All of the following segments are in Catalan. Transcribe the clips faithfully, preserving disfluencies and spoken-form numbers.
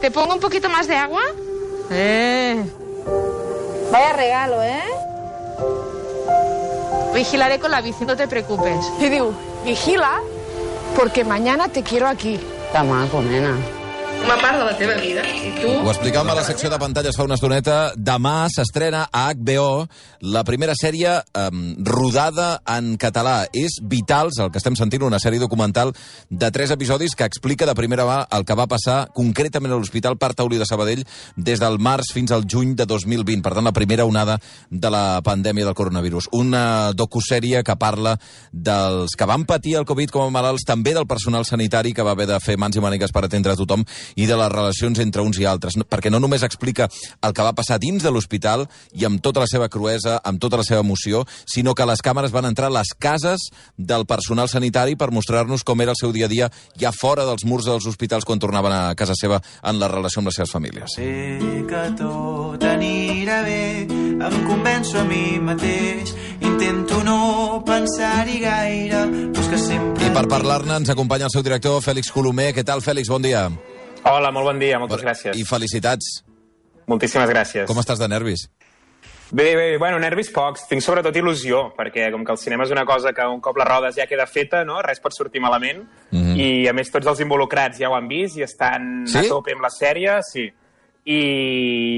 ¿Te pongo un poquito más de agua? Eh. Vaya regalo, ¿eh? Vigilaré con la bici, no te preocupes. I diu, vigila, porque mañana te quiero aquí. Que maco, nena. Una part de la teva vida. I tu? Ho explicàvem a la secció de pantalles fa una estoneta. Demà s'estrena a H B O la primera sèrie um, rodada en català. És Vitals, el que estem sentint, una sèrie documental de tres episodis que explica de primera mà el que va passar concretament a l'Hospital Parc Taulí de Sabadell des del març fins al juny de dos mil vint. Per tant, la primera onada de la pandèmia del coronavirus. Una docusèrie que parla dels que van patir el Covid com a malalts, també del personal sanitari que va haver de fer mans i mànigues per atendre a tothom, i de les relacions entre uns i altres, perquè no només explica el que va passar dins de l'hospital i amb tota la seva cruesa, amb tota la seva emoció, sinó que les càmeres van entrar a les cases del personal sanitari per mostrar-nos com era el seu dia a dia ja fora dels murs dels hospitals quan tornaven a casa seva en la relació amb les seves famílies. Sé que tot anirà bé, em convenço a mi mateix, intento no pensar-hi gaire, però és que sempre... I per parlar-ne ens acompanya el seu director, Fèlix Colomer. Què tal, Fèlix? Bon dia. Hola, molt bon dia, moltes gràcies. I felicitats. Moltíssimes gràcies. Com estàs de nervis? Bé, bé, bueno, nervis pocs. Tinc sobretot il·lusió, perquè com que el cinema és una cosa que un cop la rodes ja queda feta, no? Res pot sortir malament. Mm-hmm. I, a més, tots els involucrats ja ho han vist i estan sí? a tope amb la sèrie, sí. I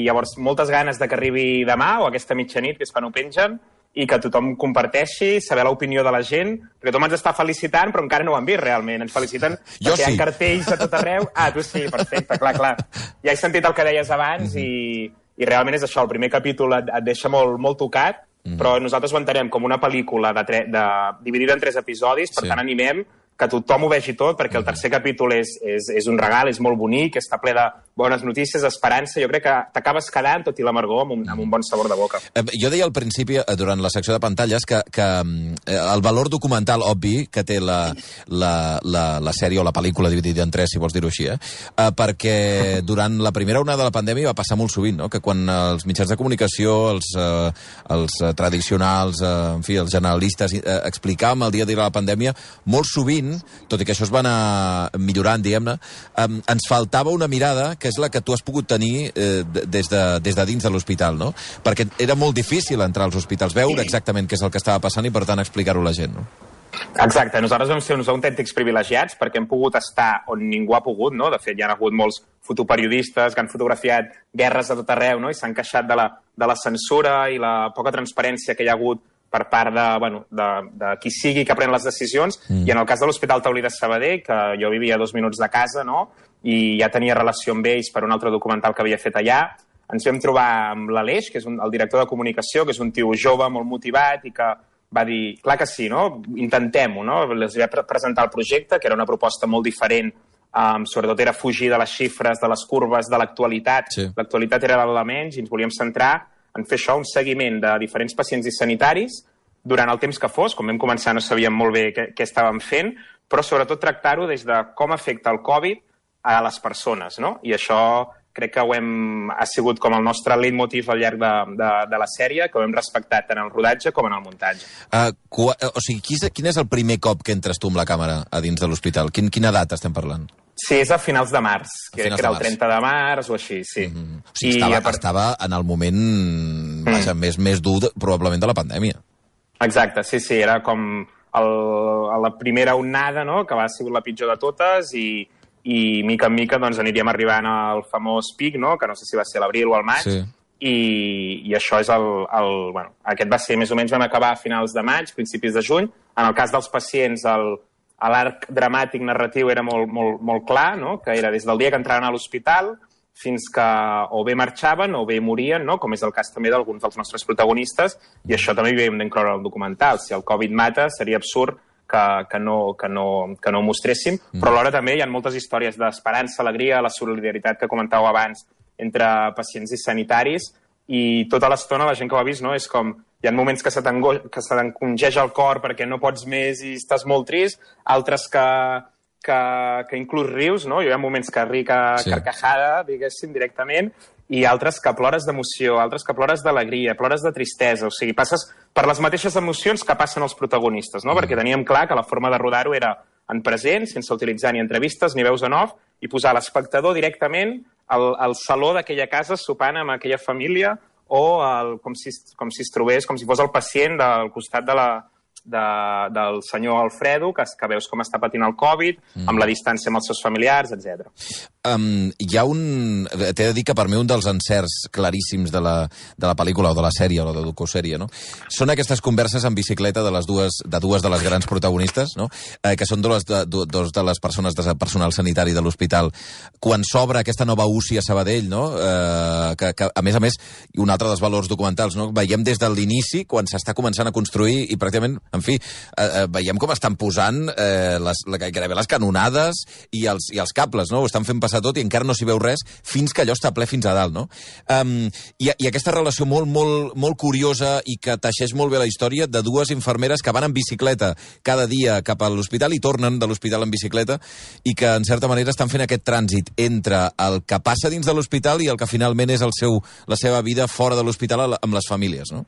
llavors, moltes ganes de que arribi demà o aquesta mitjanit, que és quan ho pengen, i que tothom comparteixi, saber l'opinió de la gent, perquè tothom ens està felicitant, però encara no ho han vist realment. Ens feliciten jo perquè sí. hi ha cartells a tot arreu. Ah, tu sí, perfecte, clar, clar. Ja he sentit el que deies abans mm-hmm. i, i realment és això, el primer capítol et, et deixa molt, molt tocat, mm-hmm. però nosaltres ho entenem com una pel·lícula de tre de, dividida en tres episodis, per sí. tant animem que tothom ho vegi tot, perquè el tercer capítol és, és, és un regal, és molt bonic, està ple de bones notícies, esperança. Jo crec que t'acabes quedant, tot i l'amargor, amb, un, amb un bon sabor de boca. Eh, jo deia al principi, eh, durant la secció de pantalles, que, que eh, el valor documental obvi que té la, la, la, la sèrie o la pel·lícula dividida en tres, si vols dir-ho així, eh? eh, perquè durant la primera onada de la pandèmia va passar molt sovint, no? Que quan els mitjans de comunicació, els, eh, els tradicionals, eh, en fi, els generalistes, eh, explicàvem el dia a dia de la pandèmia, molt sovint, tot i que això es va anar millorant, diguem-ne, eh, ens faltava una mirada que és la que tu has pogut tenir eh, des, de, des de dins de l'hospital, no? Perquè era molt difícil entrar als hospitals, veure exactament què és el que estava passant i, per tant, explicar-ho a la gent, no? Exacte, nosaltres vam ser uns autèntics privilegiats perquè hem pogut estar on ningú ha pogut, no? De fet, hi ha hagut molts fotoperiodistes que han fotografiat guerres a tot arreu, no? I s'han queixat de la, de la censura i la poca transparència que hi ha hagut per part de, bueno, de, de qui sigui que pren les decisions, mm. i en el cas de l'Hospital Taulí de Sabadell, que jo vivia a dos minuts de casa, no?, i ja tenia relació amb ells per un altre documental que havia fet allà, ens vam trobar amb l'Aleix, que és un, el director de comunicació, que és un tio jove, molt motivat, i que va dir, clar que sí, no?, intentem-ho, no?, els va presentar el projecte, que era una proposta molt diferent, um, sobretot era fugir de les xifres, de les curves, de l'actualitat, sí. L'actualitat era l'element, i ens volíem centrar en fer això, un seguiment de diferents pacients i sanitaris durant el temps que fos. Quan vam començar no sabíem molt bé què, què estàvem fent, però sobretot tractar-ho des de com afecta el Covid a les persones, no? I això crec que ho hem, ha sigut com el nostre leitmotiv al llarg de, de, de la sèrie, que ho hem respectat tant en el rodatge com en el muntatge. Uh, o sigui, quin és, quin és el primer cop que entres tu amb la càmera a dins de l'hospital? Quin, quina data estem parlant? Sí, és a finals de març, que era el trenta de març o així, sí. Mm-hmm. O sigui, estava, part... estava en el moment mm. vaja, més, més dur, probablement, de la pandèmia. Exacte, sí, sí, era com el, la primera onada, no?, que va ser la pitjor de totes, i, i mica en mica doncs, aniríem arribant al famós pic, no?, que no sé si va ser l'abril o el maig, sí. i, i això és el, el... Bueno, aquest va ser, més o menys, vam acabar a finals de maig, principis de juny. En el cas dels pacients, el l'arc dramàtic narratiu era molt, molt, molt clar, no?, que era des del dia que entraven a l'hospital fins que o bé marxaven o bé morien, no?, com és el cas també d'alguns dels nostres protagonistes, i això també hi hem d'incloure al documental. Si el Covid mata, seria absurd que, que, no, que, no, que no ho mostréssim, mm. però alhora també hi ha moltes històries d'esperança, alegria, la solidaritat que comentàveu abans entre pacients i sanitaris, i tota l'estona la gent que ho ha vist, no?, és com... Hi ha moments que se t'encongeja el cor perquè no pots més i estàs molt trist, altres que, que, que inclús rius, no? Hi ha moments que rica sí. carcajada, diguéssim, directament, i altres que plores d'emoció, altres que plores d'alegria, plores de tristesa. O sigui, passes per les mateixes emocions que passen els protagonistes, no? Mm. Perquè teníem clar que la forma de rodar-ho era en present, sense utilitzar ni entrevistes ni veus en off, i posar l'espectador directament al, al saló d'aquella casa sopant amb aquella família o el, com, si, com si es trobés, com si fos el pacient del costat de la, de, del senyor Alfredo, que, que veus com està patint el Covid, mm. amb la distància amb els seus familiars, etcètera. Um, hi ha un... T'he de dir que per mi un dels encerts claríssims de la, de la pel·lícula o de la sèrie o de la docosèrie, no? Són aquestes converses en bicicleta de les dues de dues de les grans protagonistes, no? Eh, que són dues de, dos de les persones de personal sanitari de l'hospital. Quan s'obre aquesta nova U C I a Sabadell, no? Eh, que, que, a més a més, i un altre dels valors documentals, no? Veiem des de l'inici, quan s'està començant a construir, i pràcticament, en fi, eh, eh, veiem com estan posant eh, les, gairebé les canonades i els, i els cables, no? Ho estan fent passar tot i encara no s'hi veu res fins que allò està ple fins a dalt, no? Um, i, I aquesta relació molt, molt, molt curiosa i que teixeix molt bé la història de dues infermeres que van en bicicleta cada dia cap a l'hospital i tornen de l'hospital en bicicleta i que, en certa manera, estan fent aquest trànsit entre el que passa dins de l'hospital i el que finalment és el seu, la seva vida fora de l'hospital amb les famílies, no?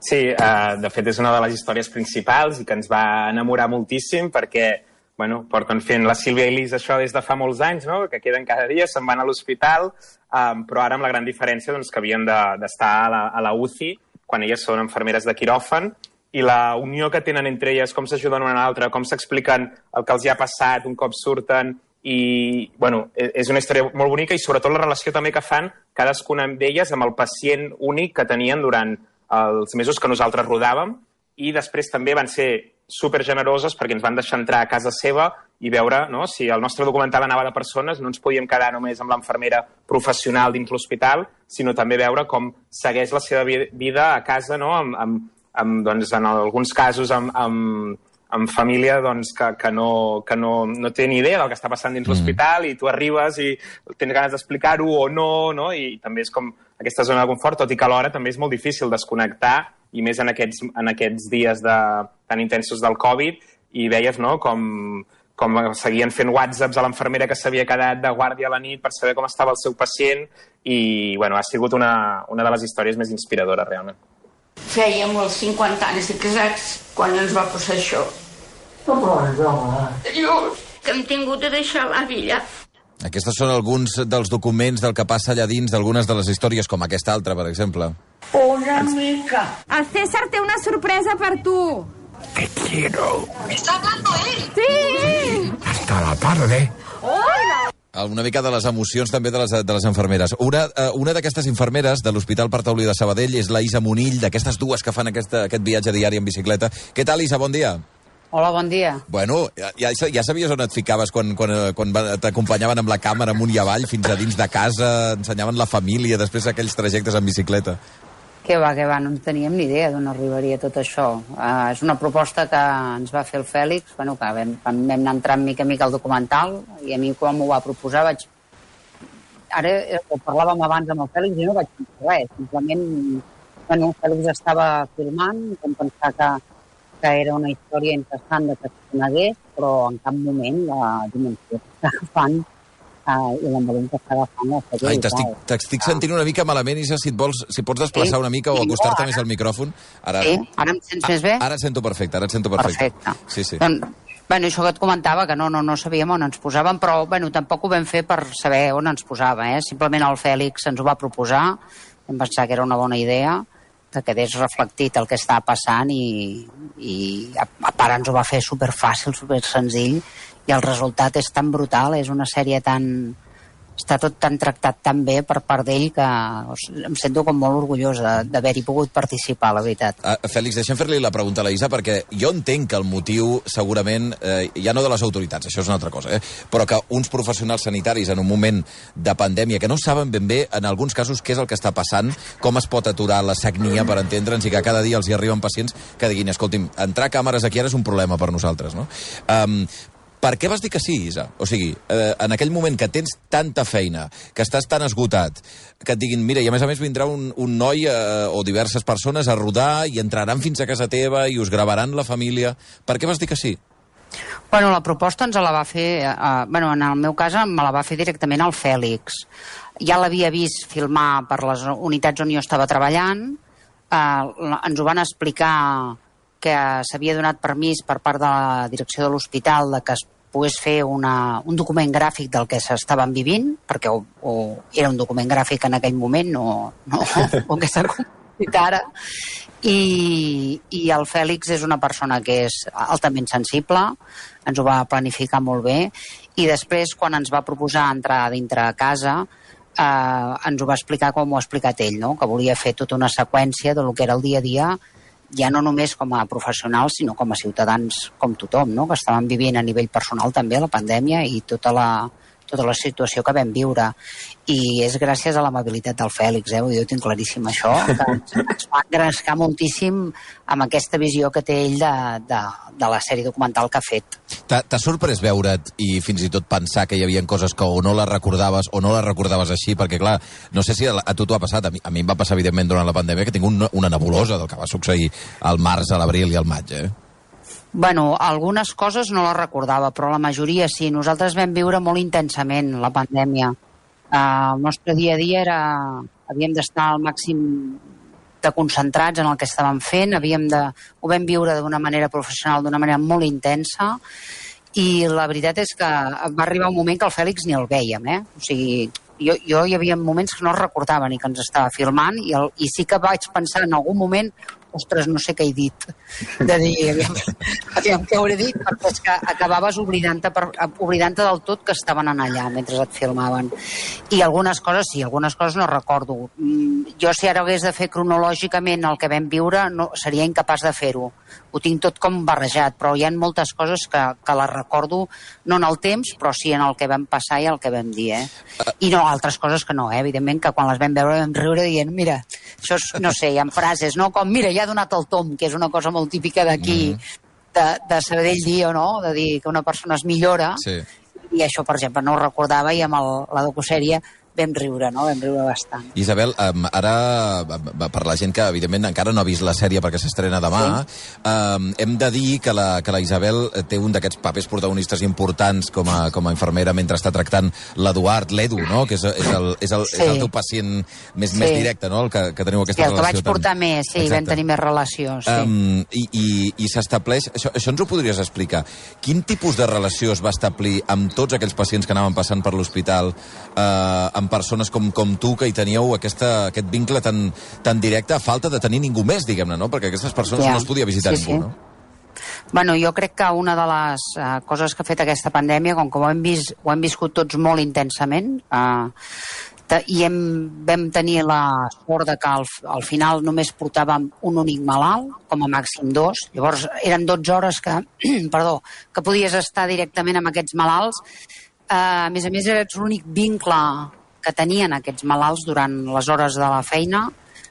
Sí, uh, de fet és una de les històries principals i que ens va enamorar moltíssim perquè, bueno, porten fent la Sílvia i Lisa això des de fa molts anys, no? Que queden cada dia, se'n van a l'hospital, um, però ara amb la gran diferència doncs, que havien d'estar de, a, la, a la U C I quan elles són infermeres de quiròfan i la unió que tenen entre elles, com s'ajuden una a l'altra, com s'expliquen el que els hi ha passat un cop surten i, bueno, és una història molt bonica i sobretot la relació també que fan cadascuna d'elles amb el pacient únic que tenien durant els mesos que nosaltres rodàvem i després també van ser supergeneroses perquè ens van deixar entrar a casa seva i veure, no, si el nostre documental anava de persones, no ens podíem quedar només amb l'enfermera professional dins l'hospital, sinó també veure com segueix la seva vida a casa, no, amb, amb, amb, doncs, en alguns casos amb, amb, amb família doncs, que, que, no, que no, no té ni idea del que està passant dins mm. l'hospital i tu arribes i tens ganes d'explicar-ho o no, no, i també és com aquesta zona de confort, tot i que alhora també és molt difícil desconnectar i més en aquests, en aquests dies de, tan intensos del Covid, i veies, no, com, com seguien fent whatsapps a l'enfermera que s'havia quedat de guàrdia a la nit per saber com estava el seu pacient, i bueno, ha sigut una, una de les històries més inspiradores, realment. Fèiem els cinquanta anys de casats quan ens va passar això. No ploris, home. Dius, que hem tingut de deixar la villa. Aquests són alguns dels documents del que passa allà dins d'algunes de les històries, com aquesta altra, per exemple. Una mica. El César té una sorpresa per tu. Te quiero. ¿Está hablando él? Sí! Hasta la tarde. Hola! Una mica de les emocions també de les, de les infermeres. Una, una d'aquestes infermeres de l'Hospital Per Taulí de Sabadell és la Isa Monill, d'aquestes dues que fan aquesta, aquest viatge diari en bicicleta. Què tal, Isa? Bon dia. Hola, bon dia. Bueno, ja, ja sabies on et ficaves quan, quan, quan t'acompanyaven amb la càmera amunt i avall, fins a dins de casa, ensenyaven la família, després aquells trajectes en bicicleta? Que va, que va, no en teníem ni idea d'on arribaria tot això. Uh, és una proposta que ens va fer el Fèlix, bueno, que vam, vam anar entrant mica a mica al documental, i a mi quan m'ho va proposar vaig... Ara ho parlàvem abans amb el Fèlix i no vaig pensar res, simplement, bueno, el Fèlix estava filmant, vam pensar que, que era una història interessant de que es conegués, però en cap moment la dimensió que està agafant Uh, i l'envolum que està agafant la sèrie. Ai, t'estic, t'estic sentint una mica malament, Isa, si et vols, si pots desplaçar sí, una mica o acostar-te més al micròfon. Ara, sí, ara em sents més bé? Ara et sento perfecte, ara et sento perfecte. Perfecte. Sí, sí. Doncs, bueno, això que et comentava, que no, no, no sabíem on ens posàvem, però bueno, tampoc ho vam fer per saber on ens posava. Eh? Simplement el Fèlix ens ho va proposar, vam pensar que era una bona idea, que quedés reflectit el que està passant i, i a, a part ens ho va fer superfàcil, supersenzill, i el resultat és tan brutal, és una sèrie tan... està tot tan tractat tan bé per part d'ell que em sento com molt orgullós d'haver-hi pogut participar, la veritat. Uh, Fèlix, deixa'm fer-li la pregunta a la Isa, perquè jo entenc que el motiu, segurament, eh, ja no de les autoritats, això és una altra cosa, eh, però que uns professionals sanitaris en un moment de pandèmia que no saben ben bé, en alguns casos, què és el que està passant, com es pot aturar la sagnia per entendre'ns i que cada dia els hi arriben pacients que diguin, escolti'm, entrar càmeres aquí ara és un problema per nosaltres, no? Um, Per què vas dir que sí, Isa? O sigui, eh, en aquell moment que tens tanta feina, que estàs tan esgotat, que et diguin, mira, i a més a més vindrà un, un noi eh, o diverses persones a rodar i entraran fins a casa teva i us gravaran la família. Per què vas dir que sí? Bueno, la proposta ens la va fer... Eh, bueno, en el meu cas me la va fer directament el Fèlix. Ja l'havia vist filmar per les unitats on jo estava treballant. Eh, ens ho van explicar que s'havia donat permís per part de la direcció de l'hospital de que es pogués fer una, un document gràfic del que s'estaven vivint, perquè o, o era un document gràfic en aquell moment, no, no o que s'ha convertit ara, i, i el Fèlix és una persona que és altament sensible, ens ho va planificar molt bé, i després, quan ens va proposar entrar dintre a casa, eh, ens ho va explicar com ho ha explicat ell, no? Que volia fer tota una seqüència de lo que era el dia a dia, ja no només com a professionals, sinó com a ciutadans com tothom, no? Que estaven vivint a nivell personal també la pandèmia i tota la, tota la situació que vam viure. I és gràcies a l'amabilitat del Fèlix, eh? Jo tinc claríssim això, que ens va engrescar moltíssim amb aquesta visió que té ell de, de, de la sèrie documental que ha fet. T'ha sorprès veure't i fins i tot pensar que hi havia coses que o no les recordaves o no les recordaves així? Perquè, clar, no sé si a, a tu t'ho ha passat, a mi, a mi em va passar, evidentment, durant la pandèmia, que tinc un, una nebulosa del que va succeir al març, a l'abril i al maig, eh? Bueno, algunes coses no les recordava, però la majoria sí. Nosaltres vam viure molt intensament la pandèmia. Uh, el nostre dia a dia era... Havíem d'estar al màxim de concentrats en el que estàvem fent, havíem de... ho vam viure d'una manera professional, d'una manera molt intensa, i la veritat és que va arribar un moment que el Fèlix ni el vèiem, eh? O sigui, jo, jo hi havia moments que no recordava ni que ens estava filmant, i, el, i sí que vaig pensar en algun moment, ostres, no sé què he dit, de dir, aviam, aviam què hauré dit, perquè és que acabaves oblidant-te oblidant del tot que estaven allà mentre et filmaven. I algunes coses sí, algunes coses no recordo. Jo, si ara hagués de fer cronològicament el que vam viure, no, seria incapaç de fer-ho. Ho tinc tot com barrejat, però hi ha moltes coses que, que les recordo, no en el temps, però sí en el que vam passar i el que vam dir, eh? I no, altres coses que no, eh? Evidentment que quan les vam veure vam riure dient, mira, això és, no sé, hi ha frases, no? Com, mira, ja ha donat el tom, que és una cosa molt típica d'aquí, de, de Sabadell dir o no, de dir que una persona es millora, sí. I això, per exemple, no ho recordava, i amb el, la docusèrie vam riure, no? Vam riure bastant. Isabel, um, ara, per la gent que, evidentment, encara no ha vist la sèrie perquè s'estrena demà, sí. um, hem de dir que la, que la Isabel té un d'aquests papers protagonistes importants com a, com a infermera mentre està tractant l'Eduard, l'Edu, no? Que és, és, el, és, el, sí. és el teu pacient més, sí. més directe, no? El que, que teniu aquesta sí, el relació. El que vaig portar tan... més, sí, exacte. Vam tenir més relació, sí. Um, I i, i s'estableix... Això, això ens ho podries explicar. Quin tipus de relació es va establir amb tots aquells pacients que anaven passant per l'hospital, eh, amb persones com, com tu, que hi teníeu aquesta, aquest vincle tan, tan directe, a falta de tenir ningú més, diguem-ne, no? Perquè aquestes persones ja. no es podia visitar sí, ningú, sí. no? Bueno, jo crec que una de les uh, coses que ha fet aquesta pandèmia, com que ho hem, vist, ho hem viscut tots molt intensament, uh, i hem, vam tenir la sort de que al, al final només portàvem un únic malalt, com a màxim dos. Llavors eren dotze hores que, perdó, que podies estar directament amb aquests malalts. Uh, a més a més, eres l'únic vincle que tenien aquests malalts durant les hores de la feina.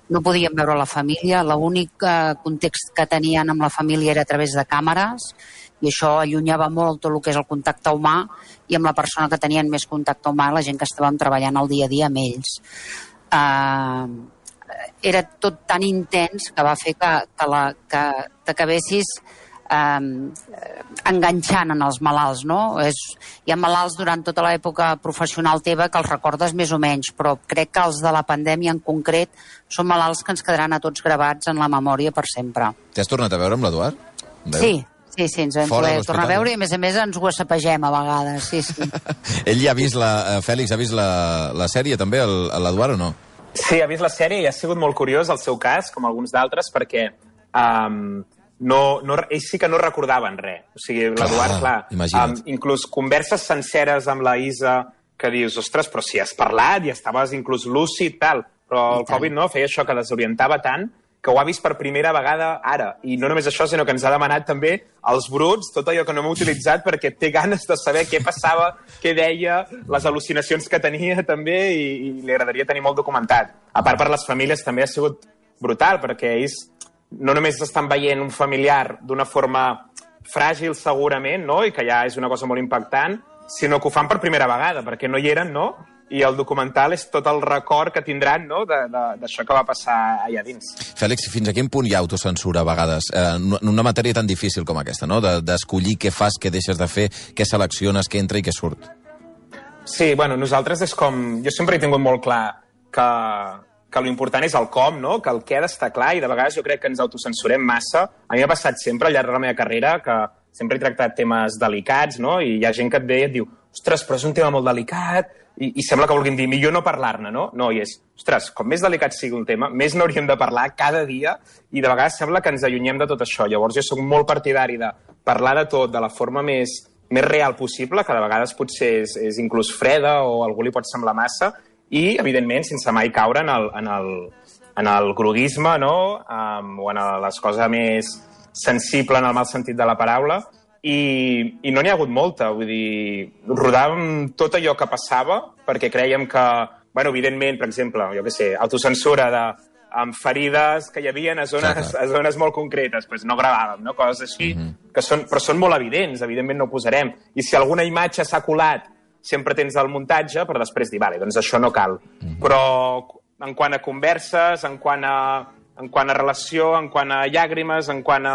No podien veure la família, l'únic uh, context que tenien amb la família era a través de càmeres, i això allunyava molt tot el que és el contacte humà, i amb la persona que tenien més contacte humà, la gent que estàvem treballant el dia a dia amb ells. Uh, era tot tan intens que va fer que, que, la, que t'acabessis Uh, enganxant en els malalts, no? És, hi ha malalts durant tota l'època professional teva que els recordes més o menys, però crec que els de la pandèmia en concret són malalts que ens quedaran a tots gravats en la memòria per sempre. T'has tornat a veure amb l'Eduard? Sí, sí, sí, ens vam poder tornar a veure i a més a més ens ho assapegem a vegades, sí, sí. Ell ja ha vist, la, Fèlix, ha vist la, la sèrie també, l'Eduard, o no? Sí, ha vist la sèrie i ha sigut molt curiós el seu cas, com alguns d'altres, perquè... Um, No, no, ells sí que no recordaven res. O sigui, l'Eduard, clar, um, inclús converses senceres amb la Isa que dius, ostres, però si has parlat i estaves inclús lúcid, tal, però el Covid no, feia això que desorientava tant que ho ha vist per primera vegada ara. I no només això, sinó que ens ha demanat també els bruts, tot allò que no hem utilitzat, perquè té ganes de saber què passava, què deia, les al·lucinacions que tenia també, i, i li agradaria tenir molt documentat. A part, per les famílies també ha sigut brutal, perquè ells no només estan veient un familiar d'una forma fràgil segurament, no? I que ja és una cosa molt impactant, sinó que ho fan per primera vegada, perquè no hi eren, no? I el documental és tot el record que tindran, no?, d'això que va passar allà dins. Fèlix, fins a quin punt hi ha autocensura a vegades? Eh, en una matèria tan difícil com aquesta, no?, d'escollir què fas, què deixes de fer, què selecciones, què entra i què surt. Sí, bueno, nosaltres és com... Jo sempre he tingut molt clar que... que l'important és el com, no? Que el què ha d'estar clar, i de vegades jo crec que ens autocensurem massa. A mi m'ha passat sempre al llarg de la meva carrera que sempre he tractat temes delicats, no? I hi ha gent que et ve i et diu, ostres, però és un tema molt delicat, i, i sembla que vulguin dir, millor no parlar-ne, no? No, i és, ostres, com més delicat sigui un tema, més n'hauríem de parlar cada dia, i de vegades sembla que ens allunyem de tot això. Llavors jo soc molt partidari de parlar de tot de la forma més, més real possible, que de vegades potser és, és inclús freda o a algú li pot semblar massa, i, evidentment, sense mai caure en el, en el, en el groguisme, no? Um, o en les coses més sensible en el mal sentit de la paraula, i, i no n'hi ha hagut molta. Vull dir, rodàvem tot allò que passava perquè creiem que, bueno, evidentment, per exemple, jo què sé, autocensura de, amb ferides que hi havia a zones, a zones molt concretes, doncs no gravàvem, no? Coses així, mm-hmm. que són, però són molt evidents, evidentment no ho posarem. I si alguna imatge s'ha colat, sempre tens el muntatge per després dir, vale, doncs això no cal. Mm-hmm. Però en quant a converses, en quant a en quant a relació, en quant a llàgrimes, en quant a,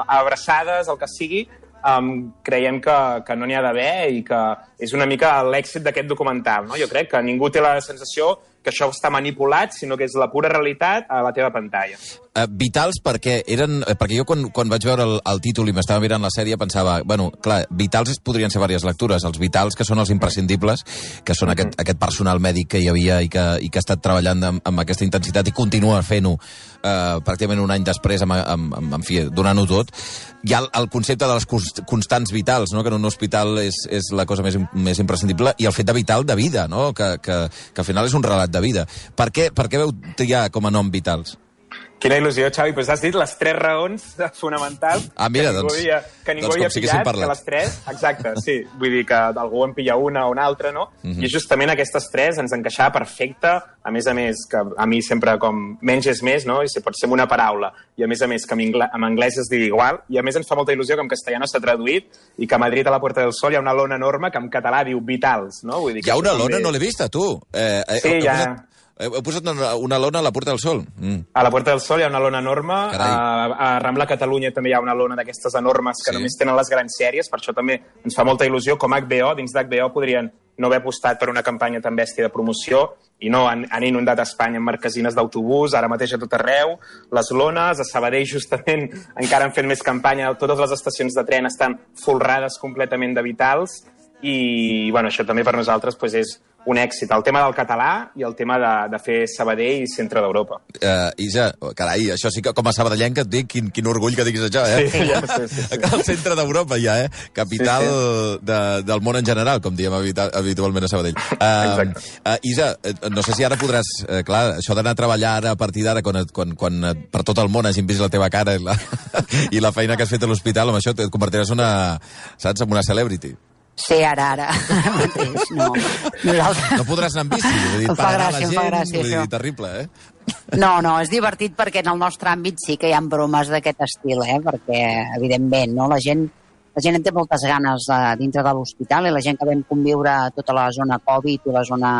a abraçades, el que sigui, um, creiem que, que no n'hi ha d'haver i que és una mica l'èxit d'aquest documental, no? Jo crec que ningú té la sensació que això està manipulat, sinó que és la pura realitat a la teva pantalla. Uh, vitals perquè eren... Perquè jo quan, quan vaig veure el, el títol i m'estava mirant la sèrie pensava, bueno, clar, vitals podrien ser diverses lectures. Els vitals, que són els imprescindibles, que són mm-hmm. aquest, aquest personal mèdic que hi havia i que, i que ha estat treballant amb, amb aquesta intensitat i continua fent-ho uh, pràcticament un any després, amb, amb, amb, en fi, donant-ho tot. Hi ha el, el concepte de les constants vitals, no? Que en un hospital és, és la cosa més, més imprescindible, i el fet de vital de vida, no? Que, que, que al final és un relat de vida. Per què, per què veu triar com a nom Vitals? Quina il·lusió, Xavi. Pues has dit les tres raons fonamentals ah, mira, que ningú doncs, havia, que ningú doncs havia pillat, que les tres... Exacte, sí. Vull dir que algú en pilla una o una altra, no? Mm-hmm. I justament aquestes tres ens encaixava perfecte. A més a més, que a mi sempre com menys és més, no? I si pot ser una paraula. I a més a més que en anglès es digui igual. I a més ens fa molta il·lusió que en castellà s'ha traduït i que a Madrid, a la Puerta del Sol, hi ha una lona enorme que en català diu Vitals, no? Vull dir que hi ha una lona? també... No l'he vista, tu. Eh, eh, sí, he ja... Posat... Heu posat una lona a la Puerta del Sol? Mm. A la Puerta del Sol hi ha una lona enorme. A, a Rambla Catalunya també hi ha una lona d'aquestes enormes que sí. només tenen les grans sèries. Per això també ens fa molta il·lusió. Com H B O, dins d'H B O podrien no haver apostat per una campanya tan bèstia de promoció i no, han, han inundat Espanya amb marquesines d'autobús, ara mateix a tot arreu, les lones, a Sabadell justament encara han fet més campanya, totes les estacions de tren estan folrades completament de Vitals i bueno, això també per nosaltres pues, és un èxit. El tema del català i el tema de, de fer Sabadell i centre d'Europa. Uh, Isa, carai, això sí que com a sabadellenca et dic, quin, quin orgull que diguis això, eh? Sí, ja, sí, sí, sí. El centre d'Europa ja, eh? Capital sí, sí. De, del món en general, com diem habitualment a Sabadell. Uh, uh, Isa, no sé si ara podràs... Uh, clar, això d'anar a treballar ara a partir d'ara, quan, quan, quan per tot el món hagin vist la teva cara i la, i la feina que has fet a l'hospital, amb això et convertiràs una, saps, en una celebrity. Sí, ara, ara, ara mateix, no. Nosaltres... No podràs anar amb bici, vull dir, per anar a la gent, gràcia, vull dir, terrible, eh? No, no, és divertit perquè en el nostre àmbit sí que hi ha bromes d'aquest estil, eh? Perquè, evidentment, no? La gent, la gent en té moltes ganes de, dintre de l'hospital i la gent que vam conviure a tota la zona Covid i la zona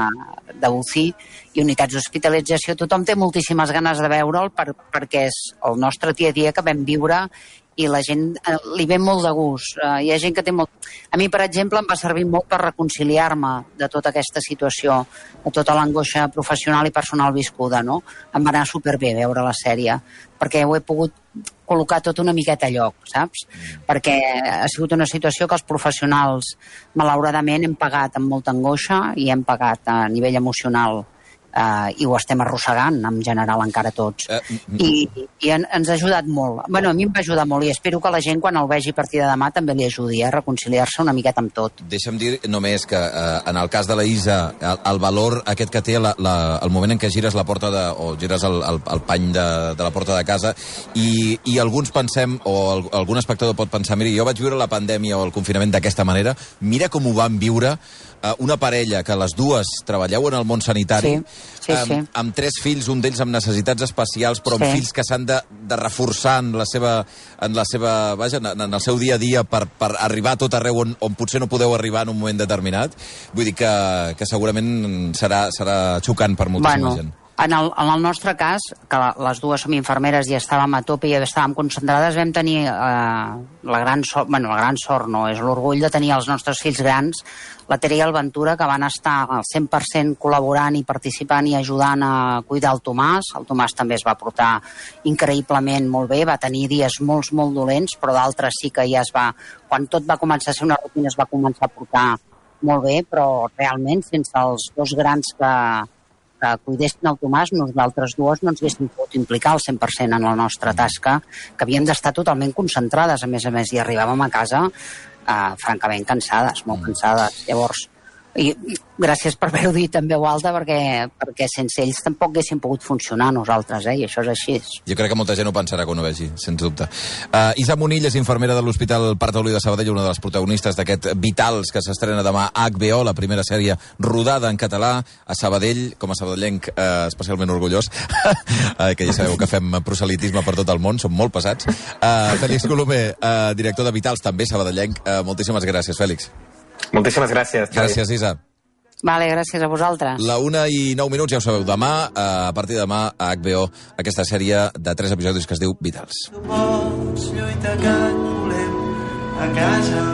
d'U C I i unitats d'hospitalització, tothom té moltíssimes ganes de veure'l per, perquè és el nostre dia a dia que vam viure i la gent eh, li ve molt de gust. Uh, hi ha gent que té molt... A mi, per exemple, em va servir molt per reconciliar-me de tota aquesta situació, de tota l'angoixa professional i personal viscuda, no? Em va anar superbé veure la sèrie, perquè ho he pogut col·locar tot una miqueta a lloc, saps? Perquè ha sigut una situació que els professionals, malauradament, hem pagat amb molta angoixa i hem pagat a nivell emocional Uh, i ho estem arrossegant en general encara tots. Uh, I i en, ens ha ajudat molt. Bueno, a mi em va ajudar molt i espero que la gent quan el vegi a partir de demà també li ajudi a reconciliar-se una miqueta amb tot. Deixa'm dir només que uh, en el cas de la Isa, el, el valor aquest que té la, la, el moment en què gires la porta de, o gires el, el, el pany de, de la porta de casa i, i alguns pensem, o el, algun espectador pot pensar, mira, jo vaig viure la pandèmia o el confinament d'aquesta manera, mira com ho van viure una parella que les dues treballeu en el món sanitari, sí, sí, sí. Amb, amb tres fills, un d'ells amb necessitats especials, però amb sí. fills que s'han de, de reforçar en la seva, en la seva, vaja, en, en el seu dia a dia per, per arribar a tot arreu on, on potser no podeu arribar en un moment determinat. Vull dir que, que segurament serà, serà xocant per moltíssima bueno. gent. En el, en el nostre cas, que les dues som infermeres i estàvem a tope i estàvem concentrades, vam tenir eh, la gran sort, bueno, la gran sort no, és l'orgull de tenir els nostres fills grans, la Tere i el Ventura, que van estar al cent per cent col·laborant i participant i ajudant a cuidar el Tomàs. El Tomàs també es va portar increïblement molt bé, va tenir dies molt, molt dolents, però d'altres sí que ja es va... Quan tot va començar a ser una rutina es va començar a portar molt bé, però realment sense els dos grans que... que cuidessin el Tomàs, nosaltres dues no ens haguéssim pogut implicar al cent per cent en la nostra tasca, que havíem d'estar totalment concentrades, a més a més, i arribàvem a casa eh, francament cansades, molt cansades. Llavors, i gràcies per haver-ho dit en veu alta, perquè, perquè sense ells tampoc haguéssim pogut funcionar nosaltres, eh? I això és així. Jo crec que molta gent ho pensarà quan ho vegi, sens dubte. Uh, Isa Munill és infermera de l'Hospital Parc Taulí de Sabadell, una de les protagonistes d'aquest Vitals, que s'estrena demà a H B O, la primera sèrie rodada en català a Sabadell, com a sabadellenc uh, especialment orgullós, uh, que ja sabeu que fem proselitisme per tot el món, som molt pesats. Uh, Fèlix Colomer, uh, director de Vitals, també sabadellenc. Uh, moltíssimes gràcies, Fèlix. Moltíssimes gràcies. Gràcies, Isa. Vale, gràcies a vosaltres. La una i nou minuts, ja ho sabeu, demà, a partir de demà, a H B O, aquesta sèrie de tres episodis que es diu Vitals. Tu pots lluitar que et volem a casa.